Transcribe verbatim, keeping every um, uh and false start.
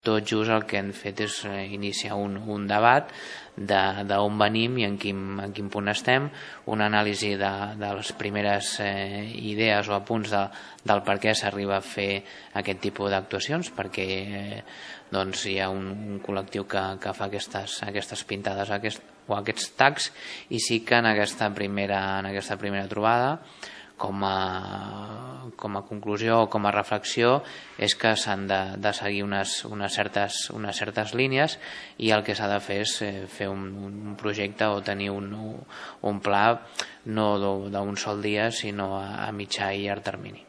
Tot just el que hem fet és iniciar un, un debat d'on venim i en quin, en quin punt estem, una anàlisi de, de les primeres eh, idees o apunts de, del per què s'arriba a fer aquest tipus d'actuacions, perquè eh, doncs hi ha un, un col·lectiu que, que fa aquestes, aquestes pintades aquest, o aquests tags, i sí que en aquesta primera, en aquesta primera trobada com a, com a conclusió o com a reflexió és que s'han de, de seguir unes, unes, certes, unes certes línies, i el que s'ha de fer és fer un, un projecte o tenir un, un pla no d'un sol dia sinó a, a mitjà i llarg termini.